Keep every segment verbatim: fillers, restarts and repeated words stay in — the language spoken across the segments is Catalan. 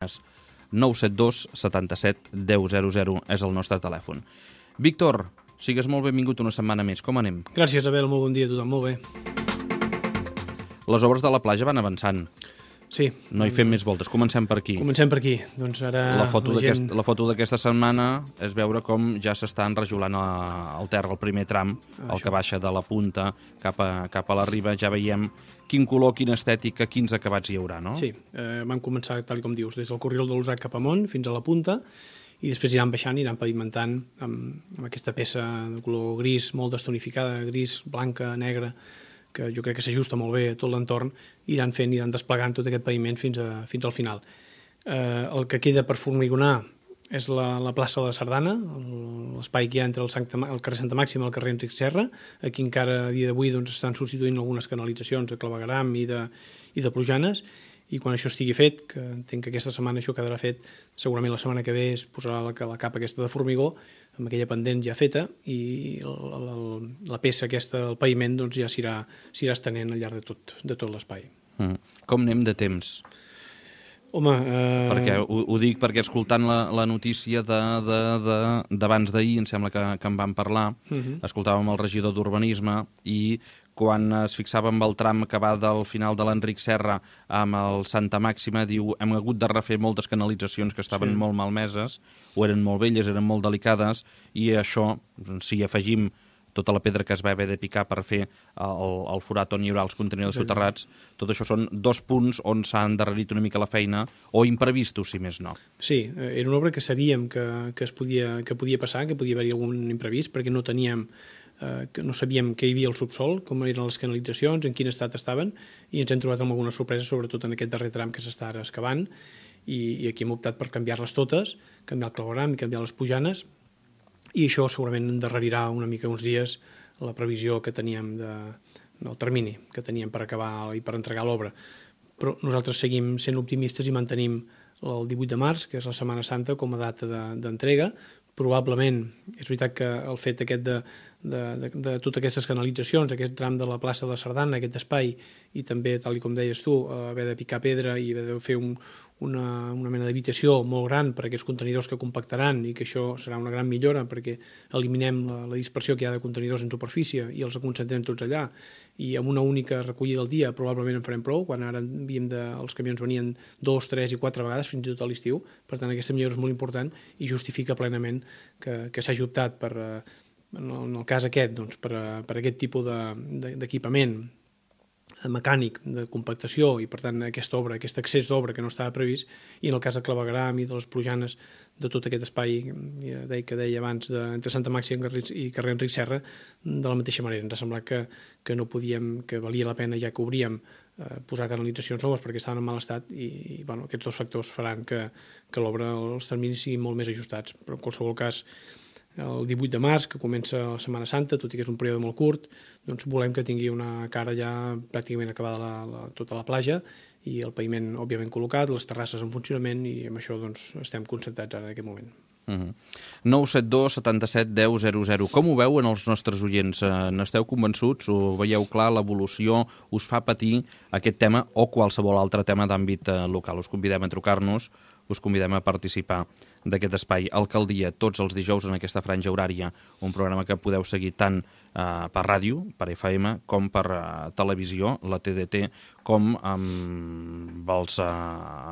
nou set dos setanta-set deu zero zero és el nostre telèfon. Víctor, sigues molt benvingut una setmana més. Com anem? Gràcies, Abel. Molt bon dia a tothom. Molt bé. Les obres de la platja van avançant. Sí. No hi fem més voltes. Comencem per aquí. Comencem per aquí. Doncs ara La foto la gent... d'aquest- la foto d'aquesta setmana és veure com ja s'està enrajolant a- al terra el primer tram, el Això. que baixa de la punta cap a, cap a la riba. Ja veiem quin color, quina estètica, quins acabats hi haurà, no? Sí, eh, vam començar, tal com dius, des del corriol de l'Usac cap amunt fins a la punta, i després iran baixant, iran pavimentant amb, amb aquesta peça de color gris, molt destonificada, gris, blanca, negra, que jo crec que s'ajusta molt bé a tot l'entorn, iran fent, iran desplegant tot aquest paviment fins, a, fins al final. Eh, el que queda per formigonar és la, la plaça de la Sardana, el- l'espai que hi ha entre el, Santa, el carrer Santa Màxima i el carrer Enric Serra. Aquí encara a dia d'avui doncs, estan substituint algunes canalitzacions de clavegueram i de, i de plujanes, i quan això estigui fet, que entenc que aquesta setmana això quedarà fet, segurament la setmana que ve es posarà la, la capa aquesta de formigó, amb aquella pendent ja feta, i la, la, la peça aquesta, el paviment, doncs ja s'irà s'irà estenent al llarg de tot, de tot l'espai. Mm. Com anem de temps? Home, eh... Perquè ho, ho dic perquè escoltant la, la notícia d'abans de, de, d'abans d'ahir, em sembla que, que en vam parlar, uh -huh. escoltàvem el regidor d'Urbanisme i quan es fixava amb el tram que va del final de l'Enric Serra amb el Santa Màxima, diu, hem hagut de refer moltes canalitzacions que estaven Sí. molt malmeses, o eren molt velles, eren molt delicades, i això, si afegim tota la pedra que es va haver de picar per fer el, el forat on hi haurà els contenidors soterrats, tot això són dos punts on s'ha endarrerit una mica la feina, o imprevistos, si més no. Sí, eh, era una obra que sabíem que, que, es podia, que podia passar, que podia haver-hi algun imprevist, perquè no teníem, eh, que no sabíem què hi havia al subsol, com eren les canalitzacions, en quin estat estaven, i ens hem trobat amb alguna sorpresa, sobretot en aquest darrer tram que s'està ara excavant, i, i aquí hem optat per canviar-les totes, canviar el clavegueram i canviar les pujanes, i això segurament endarrerirà una mica uns dies la previsió que teníem de, del termini que teníem per acabar i per entregar l'obra. Però nosaltres seguim sent optimistes i mantenim el divuit de març, que és la Setmana Santa, com a data d'entrega. De, Probablement, és veritat que el fet aquest de, de, de, de totes aquestes canalitzacions, aquest tram de la plaça de la Sardana, aquest espai, i també, tal com deies tu, haver de picar pedra i haver de fer un, una, una mena d'habitació molt gran per a aquests contenidors que compactaran, i que això serà una gran millora perquè eliminem la, la dispersió que hi ha de contenidors en superfície i els concentrem tots allà, i amb una única recollida al dia probablement en farem prou, quan ara havíem de, els camions venien dos, tres i quatre vegades fins i tot a l'estiu. Per tant, aquesta millora és molt important i justifica plenament que, que s'hagi optat per, en el, en el cas aquest, doncs, per, per aquest tipus d'equipament de, de, mecànic de compactació, i per tant aquesta obra, aquest accés d'obra que no estava previst, i en el cas de clavegueram i de les plujanes de tot aquest espai ja deia, que deia abans de, entre Santa Màxima i carrer Enric Serra, de la mateixa manera ens ha semblat que, que no podíem, que valia la pena, ja que obríem, eh, posar canalitzacions noves perquè estaven en mal estat, i, i bueno, aquests dos factors faran que, que l'obra, els terminis siguin molt més ajustats. Però en qualsevol cas, el divuit de març, que comença la Setmana Santa, tot i que és un període molt curt, doncs volem que tingui una cara ja pràcticament acabada la, la, tota la platja, i el paviment òbviament col·locat, les terrasses en funcionament, i amb això doncs, estem concentrats ara en aquest moment. Uh-huh. nou set dos setanta-set deu zero zero. Com ho veuen els nostres oients? Eh, n'esteu convençuts? Ho veieu clar? L'evolució us fa patir aquest tema o qualsevol altre tema d'àmbit eh, local? Us convidem a trucar-nos, us convidem a participar d'aquest espai. Alcaldia, tots els dijous en aquesta franja horària, un programa que podeu seguir tant eh, per ràdio, per F M, com per eh, televisió, la T D T, com amb els, eh,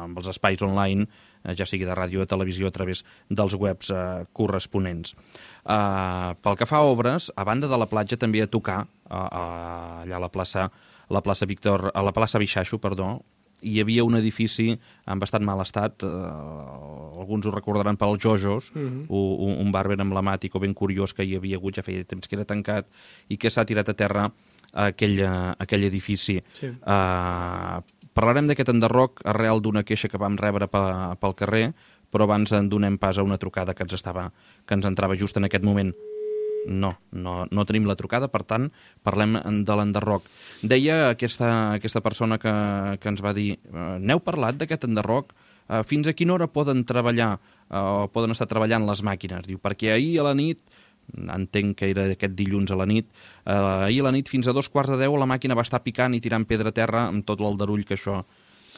amb els espais online, eh, ja sigui de ràdio o de televisió, a través dels webs eh, corresponents. Eh, pel que fa a obres, a banda de la platja també a tocar, eh, eh, allà a la plaça, la plaça Víctor, a la plaça Bixaixo, perdó, hi havia un edifici en bastant mal estat, eh, alguns ho recordaran pels Jojos, uh-huh. un, un bar ben emblemàtic o ben curiós que hi havia hagut, ja feia temps que era tancat, i que s'ha tirat a terra aquell, aquell edifici. Sí. Eh, parlarem d'aquest enderroc arrel d'una queixa que vam rebre pel, pel carrer, però abans en donem pas a una trucada que ens, estava, que ens entrava just en aquest moment. No, no, no tenim la trucada, per tant, parlem de l'enderroc. Deia aquesta, aquesta persona que, que ens va dir, n'heu parlat d'aquest enderroc? Fins a quina hora poden treballar o poden estar treballant les màquines? Diu, perquè ahir a la nit, entenc que era aquest dilluns a la nit, eh, ahir a la nit fins a dos quarts de deu la màquina va estar picant i tirant pedra a terra amb tot l'aldarull que això,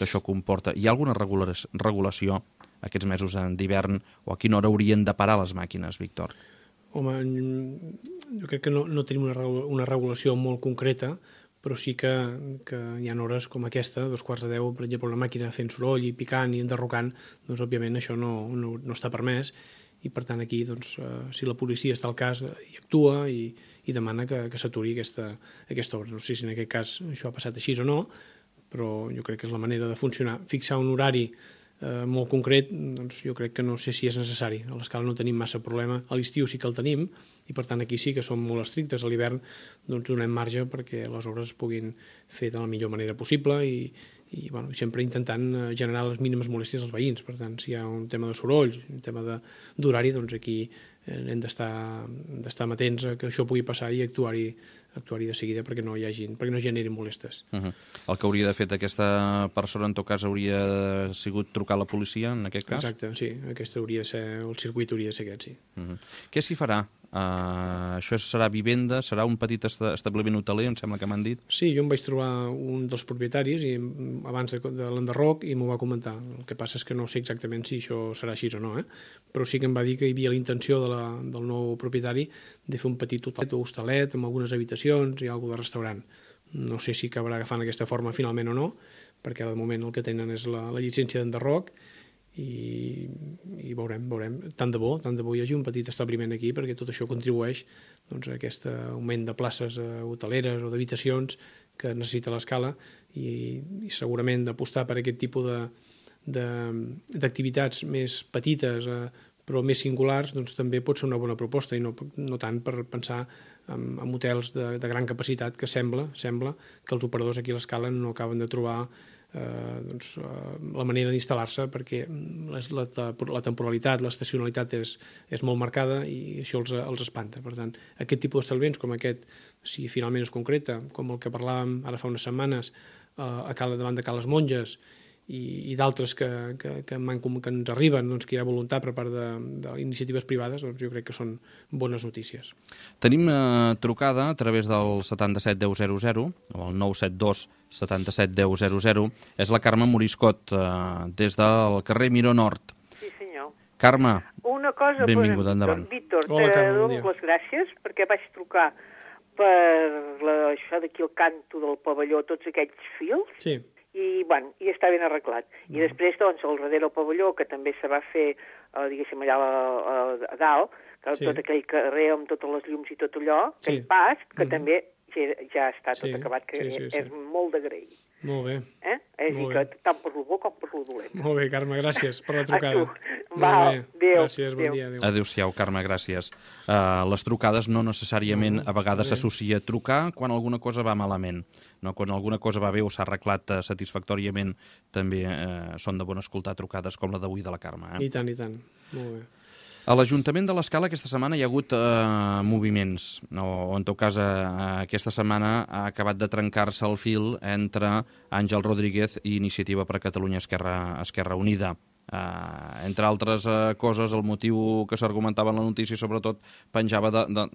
que això comporta. Hi ha alguna regulació aquests mesos d'hivern o a quina hora haurien de parar les màquines, Víctor? Home, jo crec que no, no tenim una, una regulació molt concreta, però sí que, que hi ha hores com aquesta, dos quarts de deu, per exemple, una màquina fent soroll i picant i enderrocant, doncs òbviament això no, no, no està permès, i per tant aquí, doncs, eh, si la policia està al cas, hi actua i, i demana que, que s'aturi aquesta, aquesta obra. No sé si en aquest cas això ha passat així o no, però jo crec que és la manera de funcionar. Fixar un horari eh, molt concret, doncs jo crec que no sé si és necessari. A l'escala no tenim massa problema, a l'estiu sí que el tenim, i per tant aquí sí que som molt estrictes. A l'hivern doncs donem marge perquè les obres es puguin fer de la millor manera possible i, i bueno, sempre intentant generar les mínimes molèsties als veïns. Per tant, si hi ha un tema de sorolls, un tema d'horari, doncs aquí hem d'estar amatents a que això pugui passar i actuar-hi actuar de seguida perquè no hi hagi, perquè no generin molestes. Uh -huh. El que hauria de fet aquesta persona, en tot cas, hauria sigut trucar a la policia, en aquest cas? Exacte, sí. Aquest hauria de ser, el circuit hauria de ser aquest, sí. Uh -huh. Què s'hi farà? Uh, això serà vivenda? Serà un petit establiment hoteler, em sembla que m'han dit? Sí, jo em vaig trobar un dels propietaris i, abans de, de l'enderroc i m'ho va comentar. El que passa és que no sé exactament si això serà així o no, eh? Però sí que em va dir que hi havia la intenció de la, del nou propietari de fer un petit hotelet o hostalet amb algunes habitacions i alguna de restaurant. No sé si acabarà agafant aquesta forma finalment o no, perquè de moment el que tenen és la, la llicència d'enderroc i, i veurem, veurem. Tant de bo, tant de bo hi hagi un petit establiment aquí perquè tot això contribueix doncs, a aquest augment de places hoteleres o d'habitacions que necessita l'escala i, i segurament d'apostar per aquest tipus d'activitats més petites eh, però més singulars, doncs també pot ser una bona proposta i no, no tant per pensar en, en hotels de, de gran capacitat que sembla, sembla que els operadors aquí a l'escala no acaben de trobar eh, doncs, eh, la manera d'instal·lar-se perquè les, la, la temporalitat, l'estacionalitat és, és molt marcada i això els, els espanta. Per tant, aquest tipus d'establiments com aquest, si finalment es concreta, com el que parlàvem ara fa unes setmanes eh, a Cala, davant de Cales Monges, i, i d'altres que, que, que, que ens arriben, doncs, que hi ha voluntat per part d'iniciatives privades, doncs jo crec que són bones notícies. Tenim eh, trucada a través del setanta-set deu zero zero o el nou set dos setanta-set deu zero zero. És la Carme Moriscot, eh, des del carrer Miró Nord. Sí, senyor. Carme, una cosa, benvinguda, endavant. Víctor, Hola, Carme, bon dono dia. les gràcies perquè vaig trucar per la, això d'aquí el canto del pavelló, tots aquells fils, Sí. i, bueno, i està ben arreglat. I mm. després, doncs, al darrere del pavelló, que també se va fer, eh, diguéssim, allà a, a, a dalt, que Sí. tot aquell carrer amb totes les llums i tot allò, Sí. aquell pas, que Mm. també ja, ja està tot Sí, acabat, que sí, sí, sí. és molt d'agrair. Molt bé. Eh? És a dir, Molt que bé. tant per lo bo com per lo dolent. Molt bé, Carme, gràcies per la trucada. A tu. Va, adéu. Gràcies, bon Adéu. dia. Adéu. Adéu-siau, Carme, gràcies. Uh, les trucades no necessàriament a vegades s'associa a trucar quan alguna cosa va malament. No? Quan alguna cosa va bé o s'ha arreglat uh, satisfactòriament, també uh, són de bon escoltar trucades com la d'avui de la Carme. Eh? I tant, i tant. Molt bé. A l'Ajuntament de l'Escala aquesta setmana hi ha hagut eh, moviments, o, o en tot cas eh, aquesta setmana ha acabat de trencar-se el fil entre Àngel Rodríguez i Iniciativa per Catalunya Esquerra, Esquerra Unida. Eh, entre altres eh, coses, el motiu que s'argumentava en la notícia sobretot penjava de, de,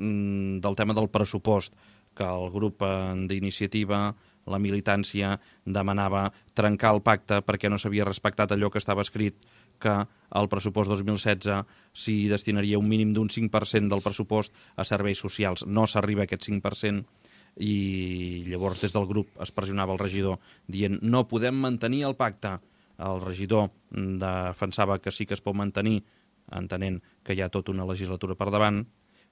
del tema del pressupost, que el grup eh, d'Iniciativa, la militància, demanava trencar el pacte perquè no s'havia respectat allò que estava escrit, que el pressupost dos mil setze s'hi destinaria un mínim d'un cinc per cent del pressupost a serveis socials. No s'arriba a aquest cinc per cent i llavors des del grup es pressionava el regidor dient no podem mantenir el pacte. El regidor defensava que sí que es pot mantenir, entenent que hi ha tota una legislatura per davant,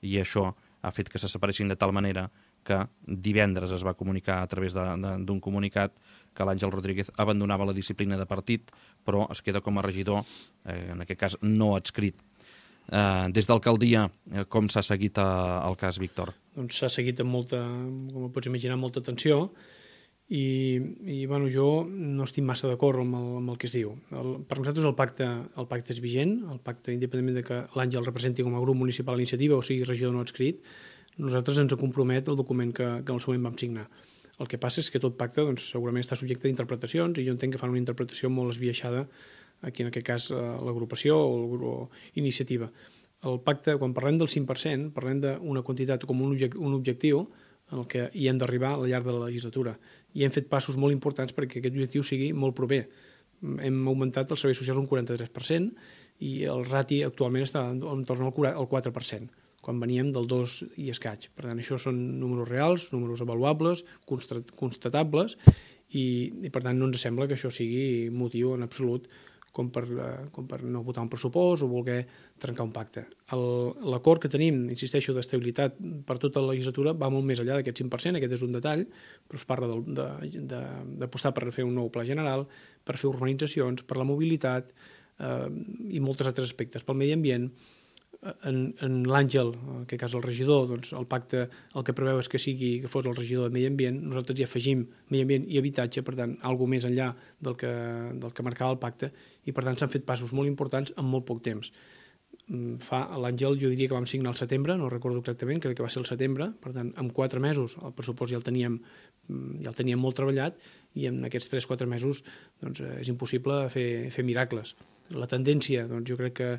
i això ha fet que se separessin de tal manera que divendres es va comunicar a través d'un comunicat que l'Àngel Rodríguez abandonava la disciplina de partit, però es queda com a regidor, eh, en aquest cas no adscrit. Eh, des d'alcaldia, eh, com s'ha seguit eh, el cas, Víctor? Doncs s'ha seguit amb molta, com pots imaginar, molta atenció i, i bueno, jo no estic massa d'acord amb, el, amb el que es diu. El, per nosaltres el pacte, el pacte és vigent, el pacte, independentment de que l'Àngel representi com a grup municipal d'iniciativa o sigui regidor no adscrit, nosaltres ens compromet el document que, que en el seu moment vam signar. El que passa és que tot pacte doncs, segurament està subjecte d'interpretacions i jo entenc que fan una interpretació molt esbiaixada, aquí en aquest cas l'agrupació o el grup iniciativa. El pacte, quan parlem del cinc per cent, parlem d'una quantitat com un, object, un objectiu en el que hi hem d'arribar al llarg de la legislatura. I hem fet passos molt importants perquè aquest objectiu sigui molt proper. Hem augmentat els serveis socials un quaranta-tres per cent i el rati actualment està entorn al quatre per cent, quan veníem del dos i escaig. Per tant, això són números reals, números avaluables, constatables, i, i per tant no ens sembla que això sigui motiu en absolut com per, com per no votar un pressupost o voler trencar un pacte. L'acord que tenim, insisteixo, d'estabilitat per tota la legislatura va molt més enllà d'aquest cinc per cent, aquest és un detall, però es parla d'apostar per fer un nou pla general, per fer urbanitzacions, per la mobilitat eh, i molts altres aspectes. Pel medi ambient, en, en l'Àngel, en aquest cas el regidor, doncs el pacte el que preveu és que sigui que fos el regidor de medi ambient, nosaltres hi afegim medi ambient i habitatge, per tant, alguna més enllà del que, del que marcava el pacte, i per tant s'han fet passos molt importants en molt poc temps. Fa l'Àngel, jo diria que vam signar al setembre, no recordo exactament, crec que va ser el setembre, per tant, en quatre mesos el pressupost ja el teníem, ja el teníem molt treballat, i en aquests tres quatre mesos doncs, és impossible fer, fer miracles. La tendència, doncs, jo crec que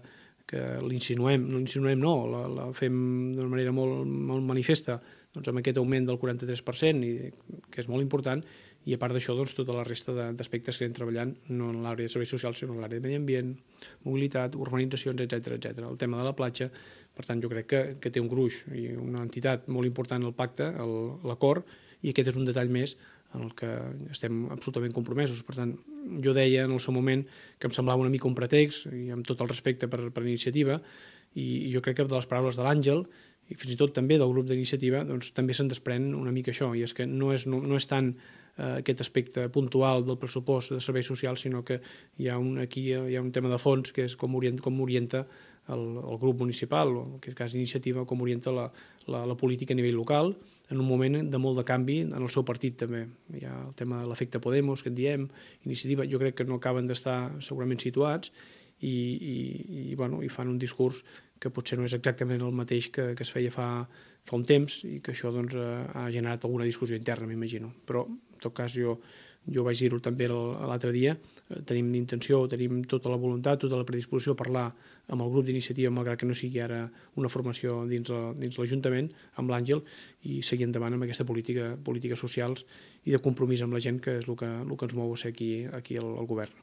que l'insinuem, no l'insinuem no, la, la fem d'una manera molt, molt manifesta, doncs amb aquest augment del quaranta-tres per cent, i, que és molt important, i a part d'això, doncs, tota la resta d'aspectes que anem treballant, no en l'àrea de serveis socials, sinó en l'àrea de medi ambient, mobilitat, urbanitzacions, etcètera, etcètera. El tema de la platja, per tant, jo crec que, que té un gruix i una entitat molt important el pacte, l'acord, i aquest és un detall més en el que estem absolutament compromesos. Per tant, jo deia en el seu moment que em semblava una mica un pretext, i amb tot el respecte per, per iniciativa, i jo crec que de les paraules de l'Àngel, i fins i tot també del grup d'iniciativa, doncs també se'n desprèn una mica això, i és que no és, no, no és tant eh, aquest aspecte puntual del pressupost de serveis socials, sinó que hi ha un, aquí hi ha un tema de fons, que és com orienta, com orienta el, el grup municipal, o en aquest cas iniciativa, com orienta la, la, la política a nivell local, en un moment de molt de canvi en el seu partit també. Hi ha el tema de l'efecte Podemos, que en diem, iniciativa, jo crec que no acaben d'estar segurament situats i, i, i, bueno, i fan un discurs que potser no és exactament el mateix que, que es feia fa, fa un temps i que això doncs, ha generat alguna discussió interna, m'imagino. Però, en tot cas, jo, jo vaig dir-ho també l'altre dia, tenim intenció, tenim tota la voluntat, tota la predisposició a parlar amb el grup d'iniciativa, malgrat que no sigui ara una formació dins l'Ajuntament, amb l'Àngel, i seguir endavant amb aquesta política, polítiques socials i de compromís amb la gent, que és el que, el que ens mou a ser aquí, aquí al, al govern.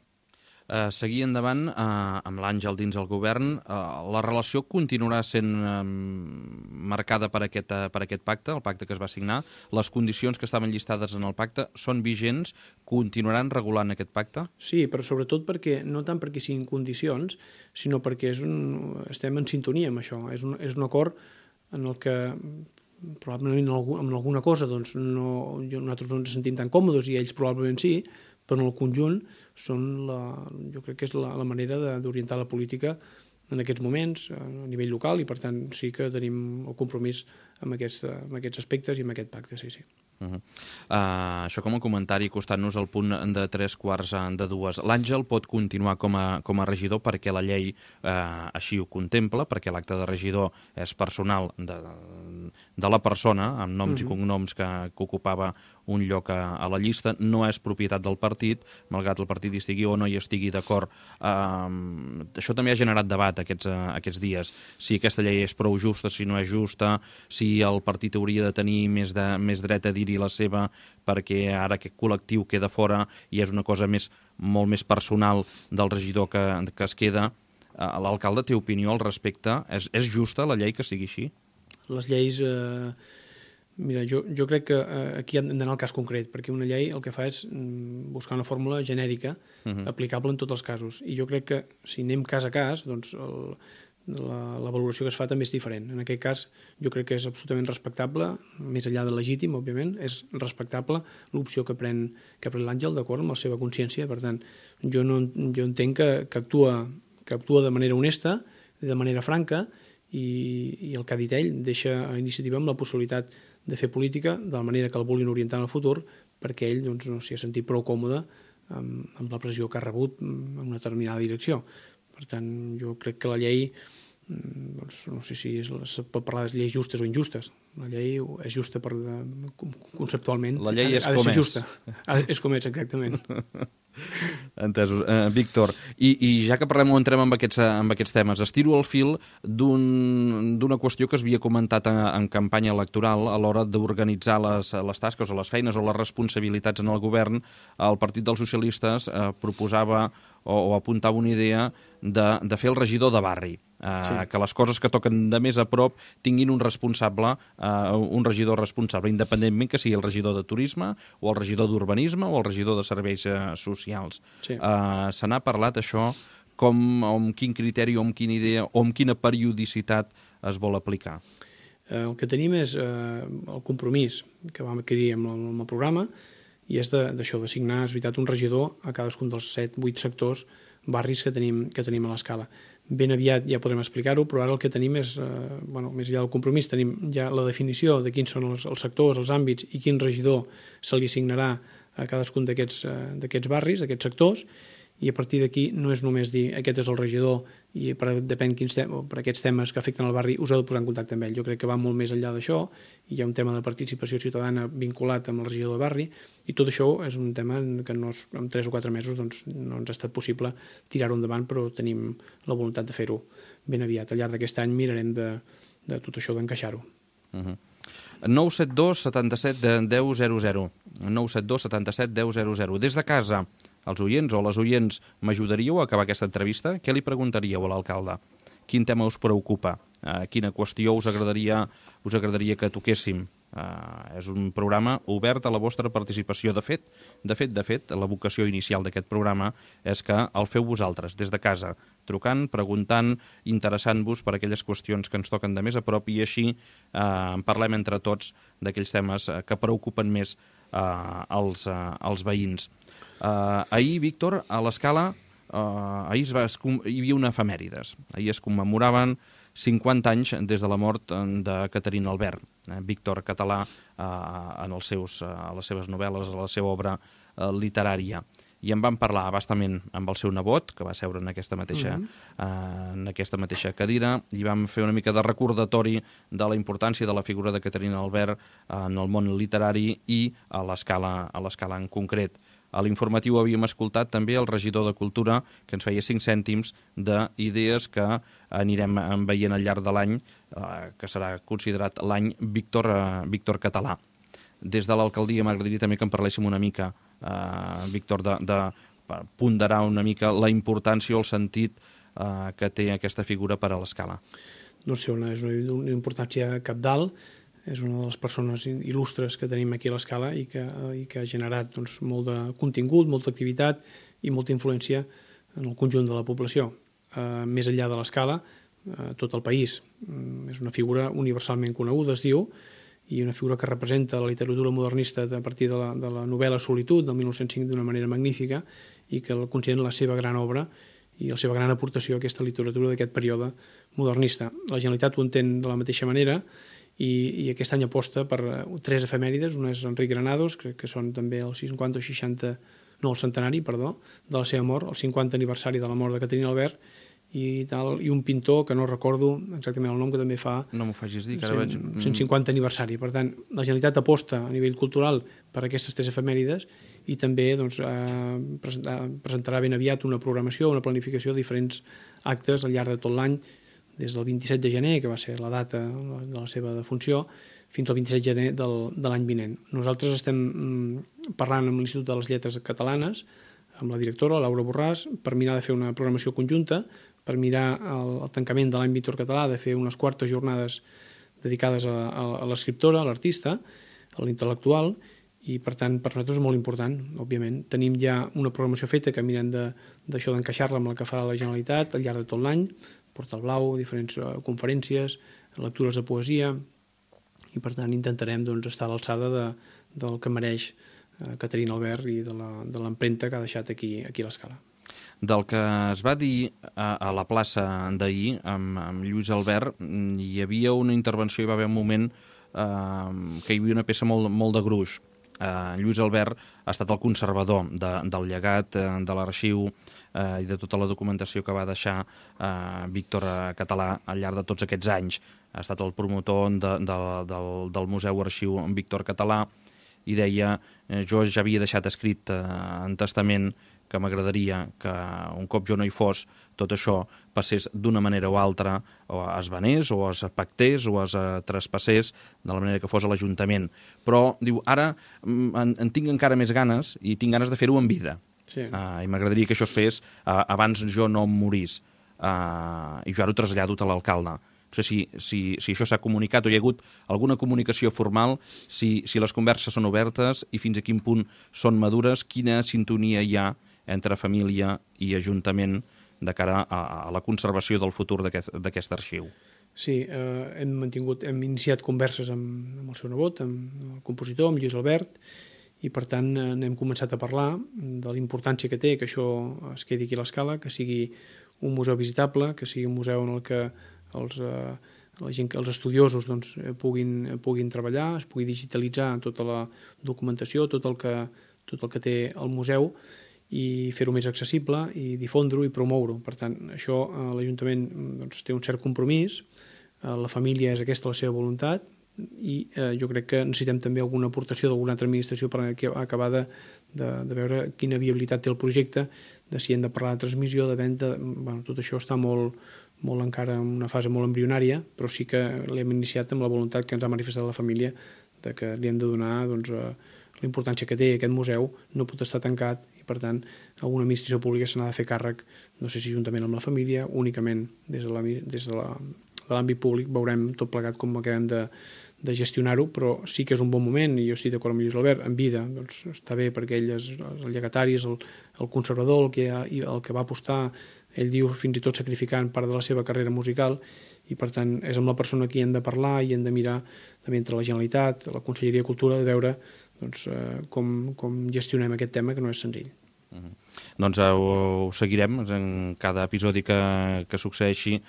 Uh, seguir endavant uh, amb l'Àngel dins el govern, uh, la relació continuarà sent uh, marcada per aquest, uh, per aquest pacte, el pacte que es va signar, les condicions que estaven llistades en el pacte són vigents, continuaran regulant aquest pacte? Sí, però sobretot perquè, no tant perquè siguin condicions, sinó perquè és un, estem en sintonia amb això, és un, és un acord en el que probablement en alguna cosa doncs, no, nosaltres no ens sentim tan còmodes i ells probablement sí, però en el conjunt són la, jo crec que és la, la manera d'orientar la política en aquests moments a nivell local, i per tant sí que tenim el compromís amb aquests, amb aquests aspectes i amb aquest pacte, sí, sí. Uh -huh. uh, això com a comentari, costant-nos el punt de tres quarts de dues. L'Àngel pot continuar com a, com a regidor perquè la llei uh, així ho contempla, perquè l'acte de regidor és personal de, de la persona, amb noms uh -huh. i cognoms que, que ocupava un lloc a, a la llista, no és propietat del partit, malgrat el partit hi estigui o no hi estigui d'acord. Uh, això també ha generat debat aquests, uh, aquests dies, si aquesta llei és prou justa, si no és justa, si el partit hauria de tenir més, de, més dret a dir-hi la seva, perquè ara aquest col·lectiu queda fora i és una cosa més, molt més personal del regidor que, que es queda. Uh, l'alcalde té opinió al respecte? És, és justa la llei que sigui així? Les lleis... Eh... Mira, jo, jo crec que eh, aquí hem d'anar al cas concret, perquè una llei el que fa és mm, buscar una fórmula genèrica uh-huh. aplicable en tots els casos. I jo crec que si anem cas a cas, doncs el, la, la valoració que es fa també és diferent. En aquest cas jo crec que és absolutament respectable, més enllà de legítim, òbviament, és respectable l'opció que pren, que pren l'Àngel, d'acord amb la seva consciència. Per tant, jo, no, jo entenc que, que, actua, que actua de manera honesta, de manera franca, i, i el que ha dit ell deixa a iniciativa amb la possibilitat de fer política de la manera que el vulguin orientar en el futur, perquè ell doncs, no s'hi ha sentit prou còmode amb, amb la pressió que ha rebut en una determinada direcció. Per tant, jo crec que la llei doncs, no sé si es, es pot parlar de lleis justes o injustes. La llei és justa per, conceptualment. La llei és ha de, ha de com ser és. Justa. Ha, és com és, exactament. Entesos. Uh, Víctor, i, i ja que parlem o entrem amb aquests, amb aquests temes, estiro el fil d'una un, qüestió que es havia comentat en, en campanya electoral a l'hora d'organitzar les, les tasques o les feines o les responsabilitats en el govern. El Partit dels Socialistes uh, proposava o, o apuntava una idea de, de fer el regidor de barri. Uh, sí. Que les coses que toquen de més a prop tinguin un responsable, uh, un regidor responsable, independentment que sigui el regidor de turisme o el regidor d'urbanisme o el regidor de serveis uh, socials. Sí. Uh, se n'ha parlat això, com, amb quin criteri o amb quina idea o amb quina periodicitat es vol aplicar? Uh, el que tenim és uh, el compromís que vam adquirir amb el, amb el programa, i és d'això, d'assignar, és veritat, un regidor a cadascun dels set, vuit sectors, barris que tenim, que tenim a l'escala. Ben aviat ja podrem explicar-ho, però ara el que tenim és, eh, bueno, més enllà del compromís, tenim ja la definició de quins són els, els sectors, els àmbits i quin regidor se li assignarà a cadascun d'aquests eh, barris, d'aquests sectors, i a partir d'aquí no és només dir aquest és el regidor i per, depèn quins tem per aquests temes que afecten el barri us heu de posar en contacte amb ell. Jo crec que va molt més enllà d'això, i hi ha un tema de participació ciutadana vinculat amb el regidor de barri, i tot això és un tema que no és, en tres o quatre mesos doncs, no ens ha estat possible tirar-ho endavant, però tenim la voluntat de fer-ho ben aviat. Al llarg d'aquest any mirarem de, de tot això d'encaixar-ho. Uh-huh. nou set dos setanta-set deu zero zero. nou set dos setanta-set deu zero zero. Des de casa, els oients o les oients, m'ajudaríeu a acabar aquesta entrevista? Què li preguntaríeu a l'alcalde? Quin tema us preocupa? Uh, quina qüestió us agradaria, us agradaria que toquéssim? Uh, és un programa obert a la vostra participació. De fet, de fet, de fet, la vocació inicial d'aquest programa és que el feu vosaltres, des de casa, trucant, preguntant, interessant-vos per aquelles qüestions que ens toquen de més a prop, i així eh, en parlem entre tots d'aquells temes que preocupen més eh, els, eh, els veïns. Eh, ahir, Víctor, a l'Escala, eh, ahir es va, es, hi havia una efemèrides. Ahir es commemoraven cinquanta anys des de la mort de Caterina Albert, eh, Víctor Català, eh, en els seus, eh, a les seves novel·les, a la seva obra eh, literària. I en vam parlar abastament amb el seu nebot, que va seure en aquesta mateixa, mm-hmm. eh, en aquesta mateixa cadira, i vam fer una mica de recordatori de la importància de la figura de Caterina Albert en el món literari i a l'Escala a l'Escala en concret. A l'informatiu havíem escoltat també el regidor de Cultura, que ens feia cinc cèntims d'idees que anirem veient al llarg de l'any, eh, que serà considerat l'any Víctor, eh, Víctor Català. Des de l'alcaldia m'agradaria també que en parléssim una mica, eh, Víctor, de, de ponderar una mica la importància o el sentit eh, que té aquesta figura per a l'Escala. No sé, una, és una, una importància cabdal, és una de les persones il·lustres que tenim aquí a l'Escala i que, i que ha generat doncs, molt de contingut, molta activitat i molta influència en el conjunt de la població. Eh, més enllà de l'Escala, eh, tot el país. Mm, és una figura universalment coneguda, es diu, i una figura que representa la literatura modernista a partir de la, de la novel·la Solitud del mil nou-cents cinc d'una manera magnífica, i que el considera la seva gran obra i la seva gran aportació a aquesta literatura d'aquest període modernista. La Generalitat ho entén de la mateixa manera, i, i aquest any aposta per tres efemèrides. Una és Enric Granados, que, que són també el cinquanta o seixanta, no, el centenari, perdó, de la seva mort, el cinquanta aniversari de la mort de Caterina Albert, i tal, i un pintor que no recordo exactament el nom, que també fa no m'ho facis dir, que ara veig... cent cinquanta aniversari. Per tant, la Generalitat aposta a nivell cultural per aquestes tres efemèrides, i també doncs, eh, presentarà ben aviat una programació, una planificació de diferents actes al llarg de tot l'any, des del vint-i-set de gener, que va ser la data de la seva defunció, fins al vint-i-set de gener del, de l'any vinent. Nosaltres estem mm, parlant amb l'Institut de les Lletres Catalanes, amb la directora, Laura Borràs, per mirar de fer una programació conjunta, per mirar el, el tancament de l'any Víctor Català, de fer unes quartes jornades dedicades a, a, a l'escriptora, a l'artista, a l'intel·lectual, i per tant per nosaltres és molt important, òbviament. Tenim ja una programació feta que mirem d'això d'encaixar-la amb la que farà la Generalitat al llarg de tot l'any, Portal Blau, diferents uh, conferències, lectures de poesia, i per tant intentarem doncs, estar a l'alçada de, del que mereix uh, Caterina Albert i de l'empremta que ha deixat aquí, aquí a l'Escala. Del que es va dir a, a la plaça d'ahir amb, amb Lluís Albert, hi havia una intervenció, hi va haver un moment eh, que hi havia una peça molt, molt de gruix. eh, Lluís Albert ha estat el conservador de, del llegat, eh, de l'arxiu eh, i de tota la documentació que va deixar eh, Víctor Català al llarg de tots aquests anys. Ha estat el promotor de, de, del, del Museu Arxiu Víctor Català i deia, eh, jo ja havia deixat escrit eh, en testament que m'agradaria que un cop jo no hi fos, tot això passés d'una manera o altra, o es venés, o es pactés, o es traspassés, de la manera que fos a l'Ajuntament. Però, diu, ara en, en tinc encara més ganes i tinc ganes de fer-ho en vida. Sí. Uh, I m'agradaria que això es fes uh, abans jo no em morís. Uh, I jo ara ho trasllado a l'alcalde. No sé si, si, si això s'ha comunicat o hi ha hagut alguna comunicació formal, si, si les converses són obertes i fins a quin punt són madures, quina sintonia hi ha entre família i Ajuntament de cara a, a la conservació del futur d'aquest arxiu. Sí, eh, hem mantingut, hem iniciat converses amb, amb el seu nebot, amb el compositor, amb Lluís Albert, i per tant eh, n'hem començat a parlar de la importància que té que això es quedi aquí a l'Escala, que sigui un museu visitable, que sigui un museu en el que els, eh, la gent, els estudiosos doncs, puguin, puguin treballar, es pugui digitalitzar tota la documentació, tot el que, tot el que té el museu, i fer-ho més accessible i difondre-ho i promoure-ho. Per tant, això eh, l'Ajuntament doncs, té un cert compromís, eh, la família és aquesta la seva voluntat i eh, jo crec que necessitem també alguna aportació d'alguna altra administració per acabar de, de, de veure quina viabilitat té el projecte, de si hem de parlar de transmissió, de venda, bueno, tot això està molt, molt encara en una fase molt embrionària, però sí que l'hem iniciat amb la voluntat que ens ha manifestat la família de que li hem de donar doncs, eh, la importància que té aquest museu, no pot estar tancat i per tant alguna administració pública se n'ha de fer càrrec, no sé si juntament amb la família, únicament des de l'àmbit públic veurem tot plegat com acabem de, de gestionar-ho, però sí que és un bon moment i jo estic d'acord amb Lluís Albert, en vida doncs està bé perquè ell és el llegatari, és el, el conservador, el que, ha, el que va apostar, ell diu fins i tot sacrificant part de la seva carrera musical i per tant és amb la persona que hi hem de parlar i hem de mirar també entre la Generalitat, la Conselleria de Cultura, de veure doncs, eh, com, com gestionem aquest tema que no és senzill. Uh-huh. Doncs uh, ho, ho seguirem en cada episodi que, que succeeixi uh,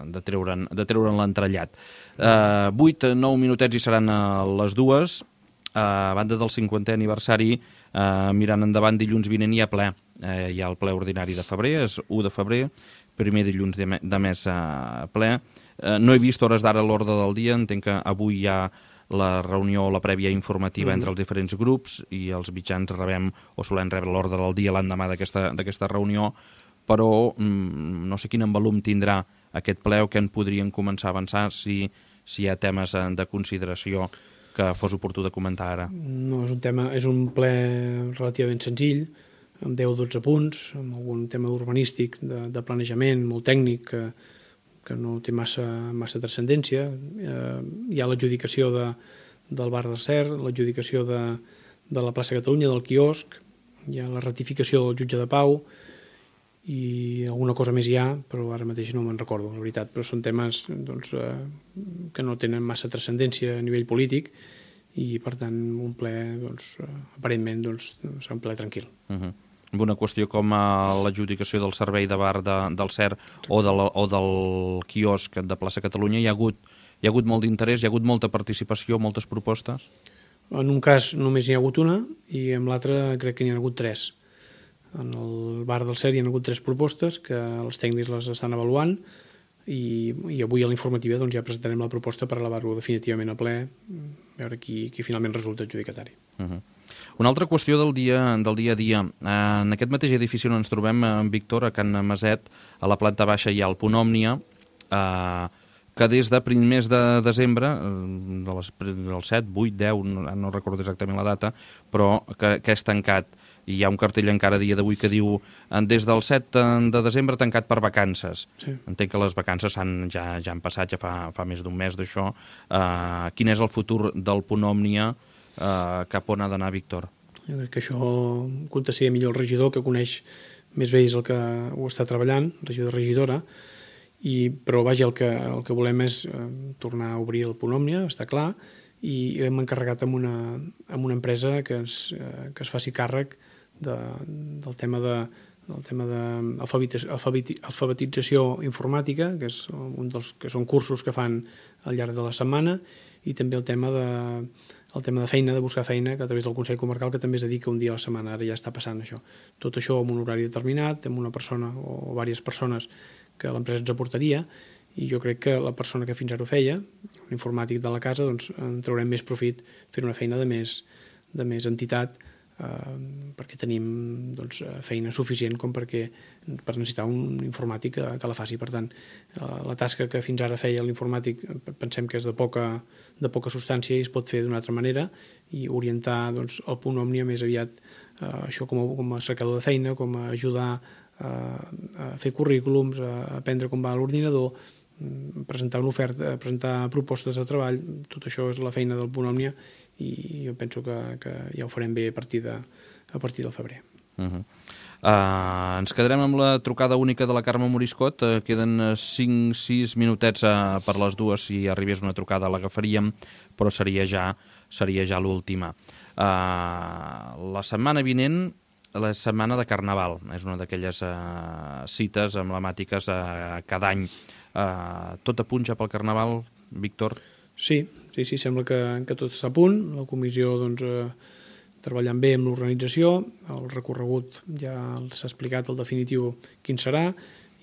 de treure'n de treure'n l'entrellat. Uh, vuit, nou minutets i seran a les dues. Uh, a banda del cinquantè aniversari, uh, mirant endavant, dilluns vinent hi ha ple. Uh, hi ha el ple ordinari de febrer, és u de febrer, primer dilluns de, me, de mes uh, ple. Uh, no he vist hores d'ara l'ordre del dia, entenc que avui hi ha la reunió o la prèvia informativa mm. entre els diferents grups i els mitjans rebem o solem rebre l'ordre del dia l'endemà d'aquesta reunió, però mm, no sé quin envolum tindrà aquest ple o què en podrien començar a avançar si, si hi ha temes de consideració que fos oportú de comentar ara. No, és un tema, és un ple relativament senzill, amb deu o dotze punts, amb algun tema urbanístic, de, de planejament, molt tècnic, que que no té massa, massa transcendència. Eh, hi ha l'adjudicació de, del bar del Cer, l'adjudicació de, de la plaça Catalunya, del quiosc, hi ha la ratificació del jutge de Pau i alguna cosa més hi ha, però ara mateix no me'n recordo, la veritat. Però són temes doncs, eh, que no tenen massa transcendència a nivell polític i, per tant, un ple, doncs, aparentment, doncs, serà un ple tranquil. Uh-huh. Una qüestió com l'adjudicació del servei de bar de, del Cer o, de la, o del quiosc de plaça Catalunya, hi ha hagut, hi ha hagut molt d'interès, hi ha hagut molta participació, moltes propostes? En un cas només hi ha hagut una i en l'altre crec que n'hi ha hagut tres. En el bar del Cer hi ha hagut tres propostes que els tècnics les estan avaluant i, i avui a l'informativa doncs, ja presentarem la proposta per elevar-ho definitivament a ple, a veure qui, qui finalment resulta adjudicatari. Uh-huh. Una altra qüestió del dia, del dia a dia. En aquest mateix edifici on ens trobem, en Víctor, a Can Maset, a la planta baixa hi ha el Punt Òmnia, eh, que des de primers de desembre, de les, del set, vuit, deu, no, no recordo exactament la data, però que, que és tancat. I hi ha un cartell encara a dia d'avui que diu des del set de desembre tancat per vacances. Sí. Entenc que les vacances han, ja, ja han passat, ja fa, fa més d'un mes d'això. Eh, quin és el futur del Punt Òmnia? Uh, cap on ha d'anar, Víctor? Jo crec que això contestaria millor el regidor, que coneix més bé el que ho està treballant, regidor regidora, i, però vaja, el que, el que volem és eh, tornar a obrir el Punt Òmnia, està clar, i hem encarregat amb una, amb una empresa que es, eh, que es faci càrrec de, del tema de del tema d'alfabetització informàtica, que és un dels que són cursos que fan al llarg de la setmana, i també el tema de el tema de feina, de buscar feina, que a través del Consell Comarcal, que també es dedica un dia a la setmana, ara ja està passant això. Tot això amb un horari determinat, amb una persona o diverses persones que l'empresa ens aportaria, i jo crec que la persona que fins ara ho feia, un informàtic de la casa, doncs en traurem més profit fent una feina de més, de més entitat, eh, perquè tenim doncs, feina suficient com perquè per necessitar un informàtic que, que la faci. Per tant, eh, la tasca que fins ara feia l'informàtic pensem que és de poca, de poca substància i es pot fer d'una altra manera i orientar doncs, el punt Òmnia més aviat eh, això com a, com a cercador de feina, com a ajudar a, a fer currículums, a aprendre com va l'ordinador, presentar una oferta, presentar propostes de treball, tot això és la feina del punt Òmnia i jo penso que, que ja ho farem bé a partir, de, a partir del febrer. Uh -huh. uh, ens quedarem amb la trucada única de la Carme Moriscot, uh, queden cinc sis minutets uh, per les dues, si arribés una trucada l'agafaríem, però seria ja, seria ja l'última. Uh, la setmana vinent, la setmana de Carnaval, és una d'aquelles uh, cites emblemàtiques uh, cada any. Uh, tot a punt ja pel Carnaval, Víctor? Sí, sí, sí, sembla que, que tot està a punt. La comissió doncs, eh, treballant bé amb l'organització, el recorregut ja s'ha explicat el definitiu quin serà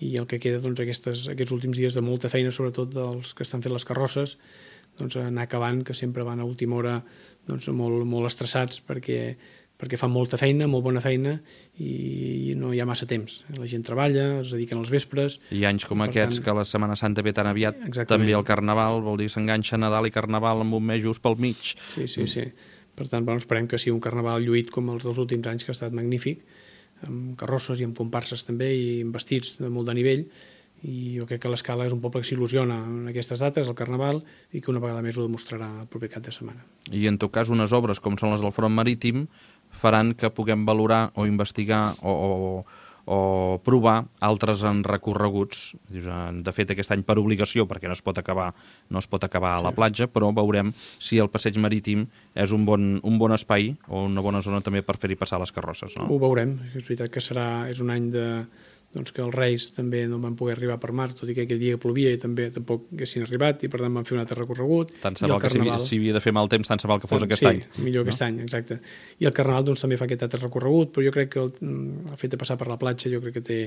i el que queda doncs, aquestes, aquests últims dies de molta feina, sobretot dels que estan fent les carrosses, doncs, anar acabant, que sempre van a última hora doncs, molt, molt estressats perquè perquè fan molta feina, molt bona feina i no hi ha massa temps. La gent treballa, es dediquen als vespres... I anys com aquests, tant, que la Setmana Santa ve tan aviat, exactament. També el Carnaval, vol dir s'enganxa Nadal i Carnaval amb un mes just pel mig. Sí, sí, sí. Per tant, bueno, esperem que sigui un Carnaval lluït com els dels últims anys, que ha estat magnífic, amb carrosses i amb comparses també, i amb vestits de molt de nivell, i jo crec que l'Escala és un poble que s'il·lusiona en aquestes dates, el Carnaval, i que una vegada més ho demostrarà el proper cap de setmana. I en tot cas, unes obres com són les del Front Marítim faran que puguem valorar o investigar o, o, o provar altres en recorreguts. De fet, aquest any per obligació, perquè no es pot acabar, no es pot acabar a la platja, però veurem si el passeig marítim és un bon, un bon espai o una bona zona també per fer-hi passar les carrosses. No? Ho veurem. És veritat que serà, és un any de... doncs que els Reis també no van poder arribar per mar, tot i que aquell dia plovia i també tampoc haguessin arribat i per tant van fer un altre recorregut. Tant se val que Carnaval... si, si havia de fer mal temps, tant se val que fos tant, aquest sí, any. Sí, millor no? Aquest any, exacte. I el Carnaval doncs, també fa aquest altre recorregut, però jo crec que el, el fet de passar per la platja jo crec que té,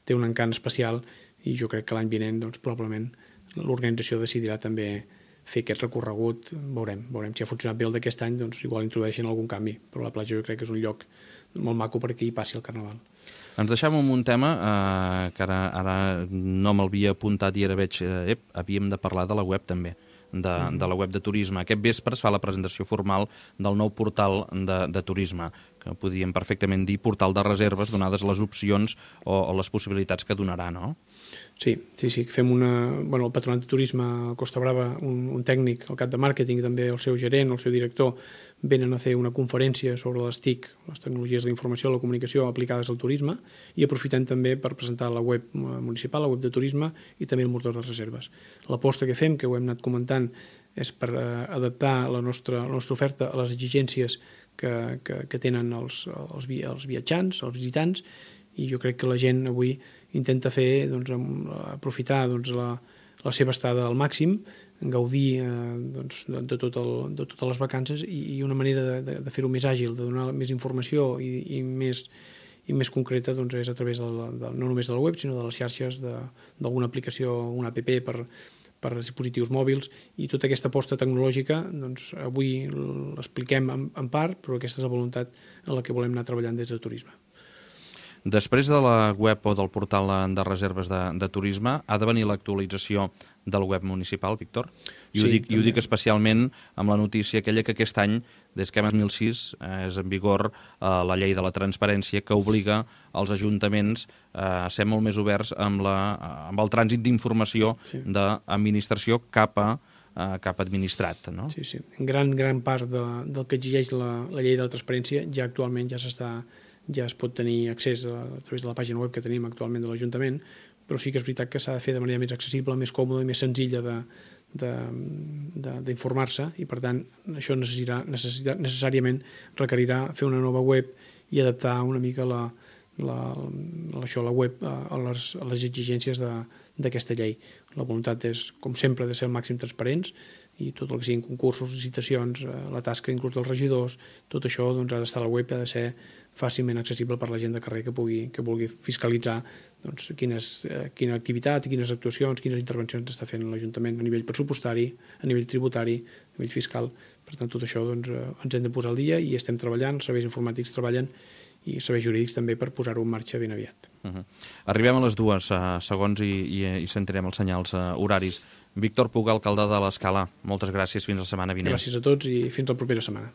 té un encant especial i jo crec que l'any vinent doncs, probablement l'organització decidirà també fer aquest recorregut. Veurem, veurem si ha funcionat bé el d'aquest any, doncs igual introdueixen algun canvi, però la platja jo crec que és un lloc molt maco perquè hi passi el Carnaval. Ens deixem amb un tema eh, que ara, ara no me'lhavia apuntat i ara veig, eh, ep, havíem de parlar de la web també, de, mm. de la web de turisme. Aquest vespre es fa la presentació formal del nou portal de, de turisme, que podríem perfectament dir portal de reserves, donades les opcions o, o les possibilitats que donarà, no? Sí, sí, sí, fem una... Bueno, el Patronat de Turisme a Costa Brava, un, un tècnic, el cap de màrqueting i també el seu gerent, el seu director, venen a fer una conferència sobre les TIC, les tecnologies de la informació i la comunicació aplicades al turisme, i aprofitem també per presentar la web municipal, la web de turisme i també el motor de reserves. L'aposta que fem, que ho hem anat comentant, és per eh, adaptar la nostra, la nostra oferta a les exigències que, que, que tenen els, els, els viatjants, els visitants, i jo crec que la gent avui intenta fer, doncs, aprofitar doncs, la, la seva estada al màxim, gaudir eh, doncs, de, de, tot el, de totes les vacances i, i una manera de, de, de fer-ho més àgil, de donar més informació i, i, més, i més concreta doncs, és a través de la, de, no només de la web, sinó de les xarxes, d'alguna aplicació, una app per, per dispositius mòbils, i tota aquesta aposta tecnològica doncs, avui l'expliquem en, en part, però aquesta és la voluntat en la que volem anar treballant des de turisme. Després de la web o del portal de reserves de, de turisme, ha de venir l'actualització del web municipal, Víctor? I ho, sí, dic, i ho dic especialment amb la notícia aquella que aquest any, des que l'any dos mil sis, és en vigor eh, la llei de la transparència que obliga els ajuntaments eh, a ser molt més oberts amb, la, amb el trànsit d'informació sí. d'administració cap a Uh, cap administrat, no? Sí, sí. En gran, gran part de, del que exigeix la, la llei de la transparència ja actualment ja s'està ja es pot tenir accés a, a través de la pàgina web que tenim actualment de l'Ajuntament, però sí que és veritat que s'ha de fer de manera més accessible, més còmoda i més senzilla de, de, de, d'informar-se, i per tant això necessitarà, necessitarà, necessàriament requerirà fer una nova web i adaptar una mica la, la, la, això, la web a les, a les exigències de, d'aquesta llei. La voluntat és, com sempre, de ser al màxim transparents, i tot el que siguin concursos, licitacions, la tasca inclús dels regidors, tot això doncs, ha d'estar a la web i ha de ser fàcilment accessible per la gent de carrer que pugui, que vulgui fiscalitzar doncs, quines, quina activitat, quines actuacions, quines intervencions està fent l'Ajuntament a nivell pressupostari, a nivell tributari, a nivell fiscal. Per tant, tot això doncs, ens hem de posar al dia i estem treballant, els serveis informàtics treballen i serveis jurídics també per posar-ho en marxa ben aviat. Uh -huh. Arribem a les dues uh, segons i, i, i sentirem els senyals uh, horaris. Víctor Puga, alcalde de l'Escala, moltes gràcies, fins la setmana vinent. Gràcies a tots i fins la propera setmana.